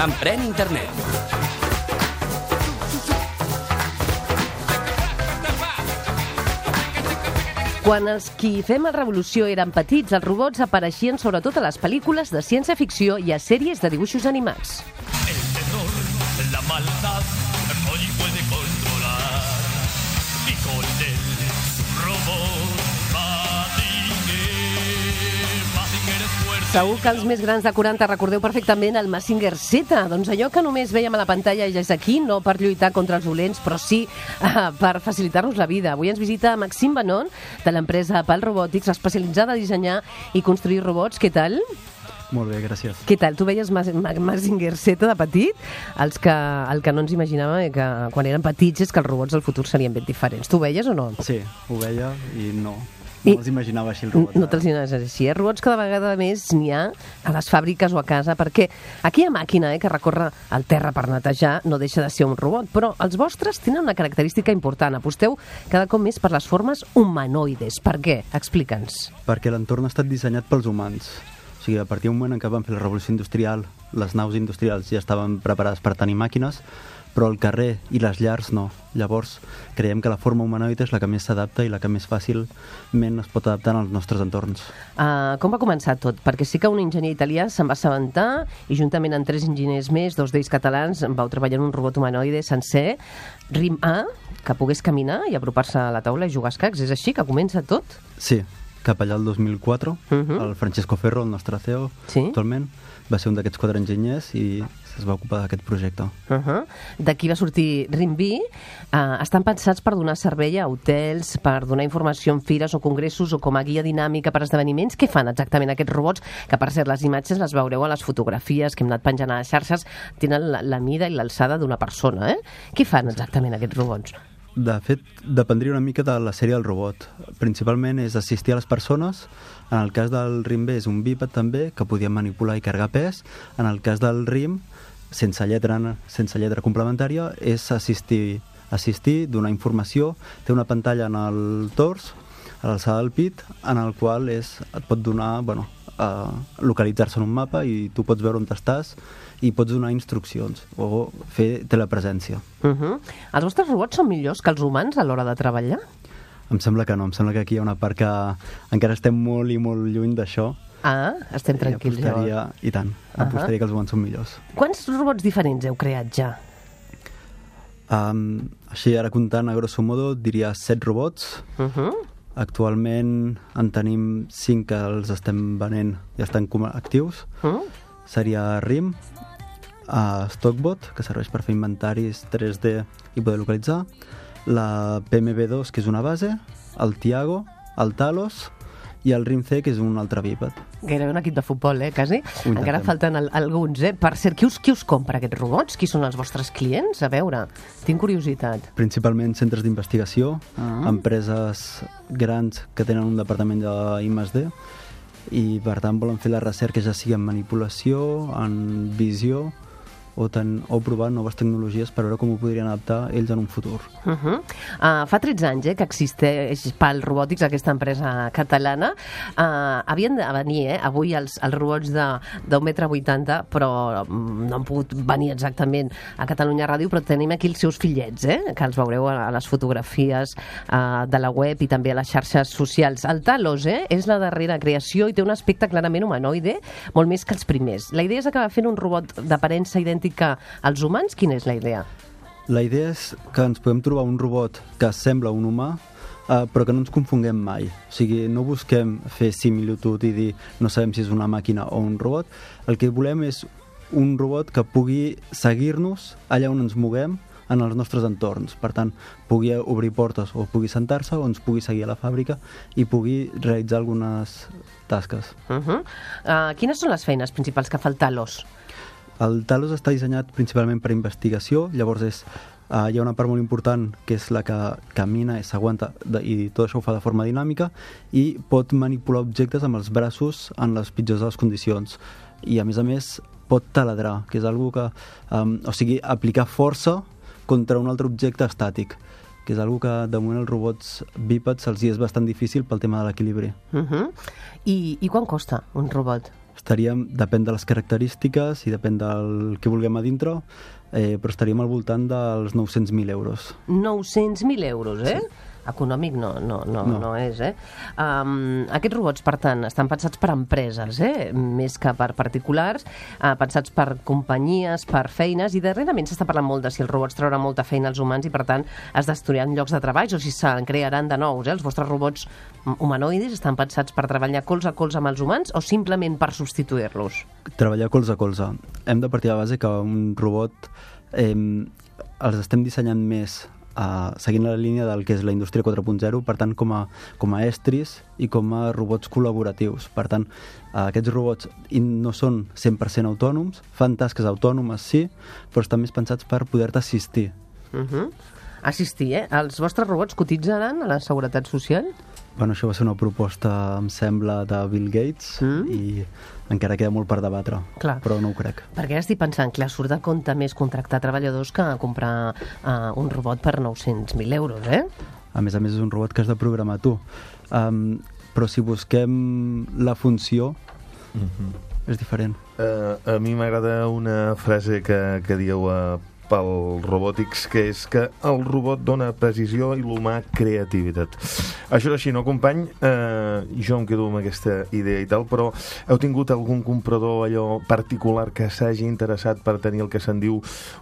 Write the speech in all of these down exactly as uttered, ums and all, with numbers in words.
Emprèn internet. Quan els qui fem a Revolució eren petits, els robots apareixien sobretot a les pel·lícules de ciència-ficció i a sèries de dibuixos animats. El terror, la maldad, hoy puede controlar. Y con él, su robot, Mazinger, Mazinger es fuerte. Segur que els més grans de quaranta recordeu perfectament el Mazinger Z. Doncs allò que només veiem a la pantalla ja és aquí, no per lluitar contra els dolents, però sí uh, per facilitar-nos la vida. Avui ens visita Maxim Banon, de l'empresa Pal Robotics, especialitzada a dissenyar i construir robots. Què tal? Molt bé, gràcies. Què tal? Tu veies Mazinger Z de petit? Els que, el que no ens imaginàvem que quan eren petits és que els robots del futur serien ben diferents. Tu ho veies o no? Sí, ho veia i no. No els imaginava així, el robot. No te'ls imaginaves així. Eh? Robots cada vegada més n'hi ha a les fàbriques o a casa, perquè aquella màquina eh, que recorre el terra per netejar no deixa de ser un robot, però els vostres tenen una característica important. Aposteu cada cop més per les formes humanoides. Per què? Explica'ns. Perquè l'entorn ha estat dissenyat pels humans. O sigui, a partir d'un moment en què van fer la revolució industrial, les naus industrials ja estaven preparades per tenir màquines, però el carrer i les llars no. Llavors, creiem que la forma humanoide és la que més s'adapta i la que més fàcilment es pot adaptar als nostres entorns. Uh, com va començar tot? Perquè sí que un enginyer italià se'n va assabentar i juntament amb tres enginyers més, dos d'ells catalans, vau treballar en un robot humanoide sencer, RIM A, que pogués caminar i apropar-se a la taula i jugar a escacs. És així que comença tot? Sí, cap allà el dos mil quatre, Uh-huh. el Francesco Ferro, el nostre C E O, Sí. actualment, va ser un d'aquests quatre enginyers i es va ocupar d'aquest projecte. Uh-huh. D'aquí va sortir RIM B. Uh, estan pensats per donar servei a hotels, per donar informació en fires o congressos o com a guia dinàmica per esdeveniments. Què fan exactament aquests robots? Que, per cert, les imatges les veureu a les fotografies que hem anat penjant a les xarxes. Tenen la, la mida i l'alçada d'una persona. Eh? Què fan exactament aquests robots? De fet, dependria una mica de la sèrie del robot. Principalment és assistir a les persones. En el cas del RIM B és un bíped també, que podia manipular i carregar pes. En el cas del RIM, sense lletra, sense lletra complementària, és assistir, assistir, donar informació. Té una pantalla en el tors, a l'alçada del pit, en el qual és, et pot donar, bueno, uh, localitzar-se en un mapa i tu pots veure on estàs i pots donar instruccions o fer telepresència. Uh-huh. Els vostres robots són millors que els humans a l'hora de treballar? Em sembla que no, em sembla que aquí hi ha una part que encara estem molt i molt lluny d'això. Ah, estem tranquils, I apostaria, llavors. I tant, apostaria uh-huh. que els humans són millors. Quants robots diferents heu creat ja? Um, així, ara comptant a grosso modo, diria set robots. Uh-huh. Actualment en tenim cinc que els estem venent i estan com actius. Uh-huh. Seria RIM, uh, Stockbot, que serveix per fer inventaris tres D i poder localitzar, la P M B dos, que és una base, el Tiago, el Talos i el RIM C, que és un altre bíped. Gairebé un equip de futbol, eh, quasi. Ho Encara intentem. falten al, alguns, eh? Per cert, qui us, qui us compra aquests robots? Qui són els vostres clients? A veure, tinc curiositat. Principalment centres d'investigació, Ah. empreses grans que tenen un departament d'I més D i per tant volen fer la recerca ja sigui en manipulació, en visió o, ten, o provar noves tecnologies per veure com ho podrien adaptar ells en un futur. Uh -huh. uh, fa tretze anys eh, que existeix Pal Robotics, aquesta empresa catalana. Uh, havien de venir eh, avui els, els robots d'un metre vuitanta, però no han pogut venir exactament a Catalunya Ràdio, però tenim aquí els seus fillets, eh, que els veureu a, a les fotografies uh, de la web i també a les xarxes socials. El Talos eh, és la darrera creació i té un aspecte clarament humanoide, molt més que els primers. La idea és acabar fent un robot d'aparença idèntica als humans? Quina és la idea? La idea és que ens podem trobar un robot que sembla un humà, eh, però que no ens confonguem mai. O sigui, no busquem fer similitud i dir no sabem si és una màquina o un robot. El que volem és un robot que pugui seguir-nos allà on ens moguem en els nostres entorns. Per tant, pugui obrir portes o pugui sentar-se o ens pugui seguir a la fàbrica i pugui realitzar algunes tasques. Uh -huh. uh, quines són les feines principals que fa el Talos? El Talos està dissenyat principalment per investigació, llavors és, uh, hi ha una part molt important que és la que camina i s'aguanta i tot això ho fa de forma dinàmica i pot manipular objectes amb els braços en les pitjors de les condicions. I a més a més pot taladrar, que és algo que, um, o sigui, aplicar força contra un altre objecte estàtic, que és una que de moment els robots bípeds se'ls és bastant difícil pel tema de l'equilibri. Uh -huh. I, I quan costa un robot? Estaríem, depèn de les característiques i depèn del que vulguem a dintre, eh, però estaríem al voltant dels nou-cents mil euros. nou-cents mil euros, eh? Sí. Econòmic no, no, no, no. no és, eh? Um, aquests robots, per tant, estan pensats per empreses, eh? Més que per particulars, uh, pensats per companyies, per feines, i darrerament s'està parlant molt de si els robots trauran molta feina als humans i, per tant, es destruiran llocs de treball o si se'n crearan de nous, eh? Els vostres robots humanoides estan pensats per treballar colze a colze amb els humans o simplement per substituir-los? Treballar colze a colze. Hem de partir de la base que un robot eh, els estem dissenyant més Uh, seguint la línia del que és la indústria quatre punt zero, per tant com a, com a estris i com a robots col·laboratius. Per tant, uh, aquests robots no són cent per cent autònoms, fan tasques autònomes sí, però estan més pensats per poder-te assistir. Uh -huh. Assistir, eh? Els vostres robots cotitzaran a la Seguretat Social? Bueno, això va ser una proposta, em sembla, de Bill Gates mm. i encara queda molt per debatre, clar, però no ho crec. Perquè ara estic pensant que surt de compte més contractar treballadors que comprar uh, un robot per nou-cents mil euros, eh? A més a més és un robot que has de programar tu. Um, però si busquem la funció, mm-hmm. és diferent. Uh, a mi m'agrada una frase que, que dieu uh, pel robòtics, que és que el robot dona precisió i l'humà creativitat. Això és així, no, company? Eh, jo em quedo amb aquesta idea i tal, però heu tingut algun comprador allò particular que s'hagi interessat per tenir el que se'n diu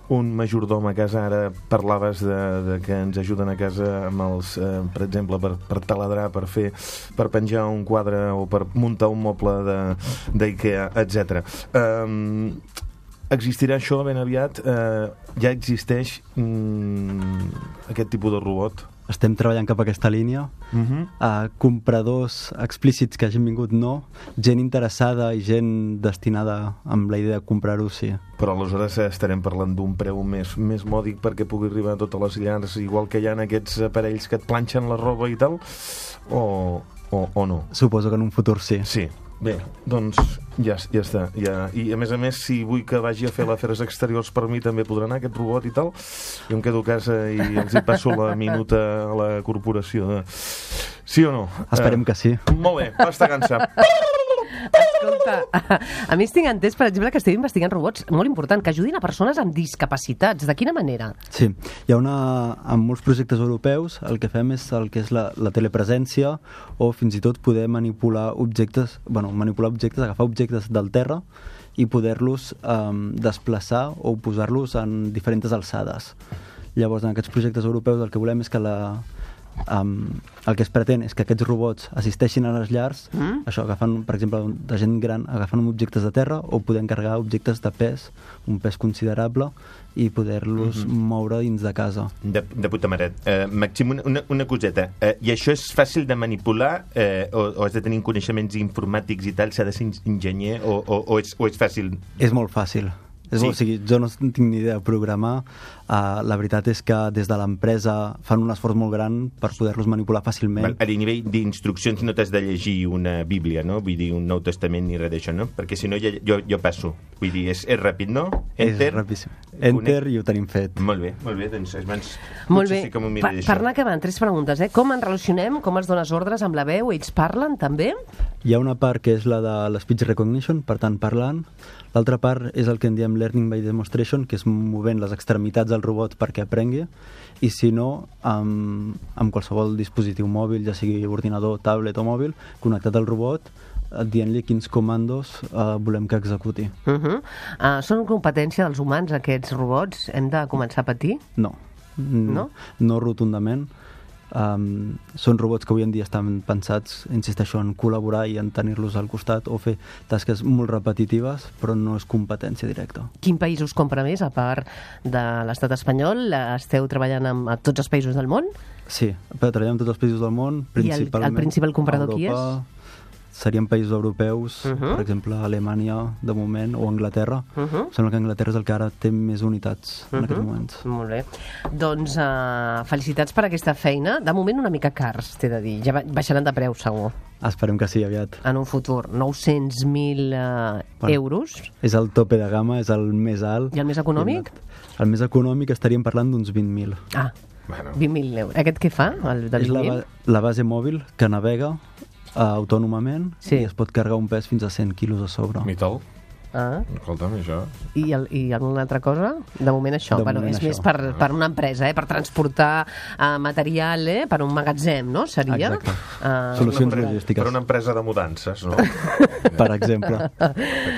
un majordom a casa? Ara parlaves de, de que ens ajuden a casa amb els, eh, per exemple, per, per taladrar, per fer, per penjar un quadre o per muntar un moble d'IKEA, etcètera. Eh, Existirà això ben aviat? Eh, ja existeix mm, aquest tipus de robot? Estem treballant cap a aquesta línia. Uh-huh. Uh, compradors explícits que hagin vingut, no. Gent interessada i gent destinada amb la idea de comprar-ho, sí. Però aleshores estarem parlant d'un preu més, més mòdic perquè pugui arribar a totes les llars, igual que hi ha aquests aparells que et planxen la roba i tal, o, o, o no? Suposo que en un futur sí. Sí. Bé, doncs ja, ja està. Ja. I a més a més, si vull que vagi a fer l'afers exteriors per mi, també podrà anar aquest robot i tal. Jo em quedo a casa i els hi passo la minuta a la corporació. De... Sí o no? Esperem uh, que sí. Molt bé, basta cansar. Escolta, a mi estic entès, per exemple, que esteu investigant robots molt important, que ajudin a persones amb discapacitats. De quina manera? Sí, hi ha una... En molts projectes europeus el que fem és el que és la, la telepresència o fins i tot poder manipular objectes, bueno, manipular objectes, agafar objectes del terra i poder-los um, desplaçar o posar-los en diferents alçades. Llavors, en aquests projectes europeus el que volem és que la... Um, el que es pretén és que aquests robots assisteixin a les llars, mm? això, agafant, per exemple, de gent gran, agafant objectes de terra o podent carregar objectes de pes, un pes considerable, i poder-los mm-hmm. moure dins de casa. De, de puta mare. Uh, Màxim, una, una coseta. Uh, I això és fàcil de manipular uh, o, o has de tenir coneixements informàtics i tal? S'ha de ser enginyer o, o, o, és, o és fàcil? És molt fàcil. És sí. molt, o sigui, jo no tinc ni idea de programar. Uh, la veritat és que des de l'empresa fan un esforç molt gran per poder-los manipular fàcilment. A nivell d'instruccions no t'has de llegir una Bíblia, no? Vull dir, un Nou Testament ni res d'això, no? Perquè si no ja, jo, jo passo. Vull dir, és, és ràpid, no? Enter. És rapidíssim. Enter i ho tenim fet. Molt bé, molt bé. Doncs abans molt bé. Sí que m'ho pa per anar acabant, tres preguntes, eh? Com ens relacionem? Com es dones ordres amb la veu? Ells parlen, també? Hi ha una part que és la de l'speech recognition, per tant, parlant. L'altra part és el que en diem learning by demonstration, que és movent les extremitats del robot perquè aprengui, i si no, amb, amb qualsevol dispositiu mòbil, ja sigui ordinador, tablet o mòbil, connectat al robot, dient-li quins comandos uh, volem que executi. Uh -huh. uh, són competència dels humans, aquests robots? Hem de començar a patir? No. No? No rotundament. Um, són robots que avui en dia estan pensats, insisteixo, en col·laborar i en tenir-los al costat o fer tasques molt repetitives, però no és competència directa. Quin país us compra més, a part de l'estat espanyol? Esteu treballant amb a tots els països del món? Sí, treballem amb tots els països del món, principalment. I el, el principal comprador qui és? Serien països europeus, uh -huh. per exemple, Alemanya, de moment, o Anglaterra. Uh -huh. Em sembla que Anglaterra és el que ara té més unitats uh -huh. en aquests moments. Molt bé. Doncs uh, felicitats per aquesta feina. De moment una mica cars, t'he de dir. Ja baixaran de preu, segur. Esperem que sí, aviat. En un futur. nou-cents mil uh, bueno, euros. És el tope de gamma, és el més alt. I el més econòmic? El més econòmic estaríem parlant d'uns vint mil. Ah, Bueno. vint mil euros. Aquest què fa, el de És la, vint mil? ba- la base mòbil que navega uh, autònomament Sí. i es pot carregar un pes fins a cent quilos a sobre. Mitol. Ah. Escolta'm, això... I, el, I alguna altra cosa? De moment això. De bueno, moment és això. més per, per una empresa, eh? Per transportar uh, material, eh? Per un magatzem, no? Seria? Exacte. Uh, Solucions Per- logístiques. Per una empresa de mudances, no? Per exemple.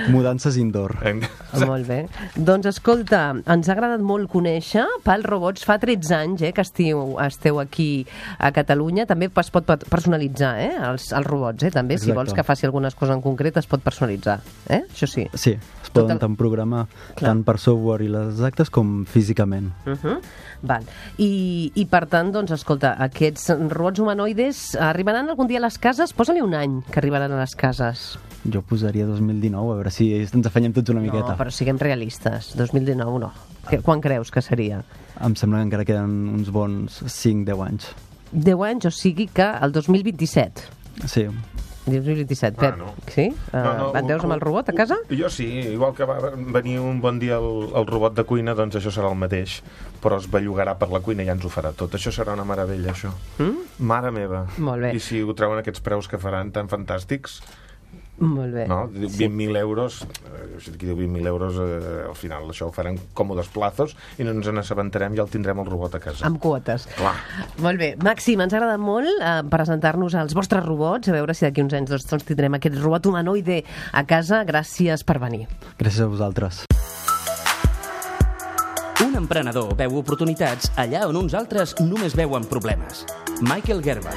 Mudances indoor. Hem- Molt bé. Doncs escolta, ens ha agradat molt conèixer Pal Robots. Fa tretze anys eh, que estiu, esteu aquí a Catalunya. També es pot pe- personalitzar eh, els, els robots. Eh, també, si Exacte. vols que faci algunes coses en concret, es pot personalitzar. Eh? Això sí. Sí, es Tot poden el- tant programar Clar. tant per software i les actes com físicament. Uh -huh. Val. I, I per tant, doncs, escolta, aquests robots humanoides arribaran algun dia a les cases? Posa-li un any que arribaran a les cases. Jo posaria dos mil dinou, a veure si ens afanyem tots una miqueta. No, però siguem realistes. dos mil dinou no. Que, quan creus que seria? Em sembla que encara queden uns bons cinc deu anys. deu anys, o sigui que el dos mil vint-i-set. Sí, dos mil vint-i-set, Pep. Bueno. Sí? Uh, et veus amb el robot a casa? Jo sí, igual que va venir un bon dia el, el robot de cuina, doncs això serà el mateix, però es bellugarà per la cuina i ja ens ho farà tot. Això serà una meravella, això. Mm? Mare meva. Molt bé. I si ho treuen aquests preus que faran tan fantàstics, Molt bé. no? vint mil euros, eh, si aquí diu vint mil euros, eh, al final això ho faran còmodes plazos i no ens n'assabentarem, ja el tindrem el robot a casa. Amb quotes. Clar. Molt bé. Màxim, ens ha agradat molt eh, presentar-nos als vostres robots, a veure si d'aquí uns anys doncs, doncs tindrem aquest robot humanoide a casa. Gràcies per venir. gràcies a vosaltres. Un emprenedor veu oportunitats allà on uns altres només veuen problemes. Michael Gerber.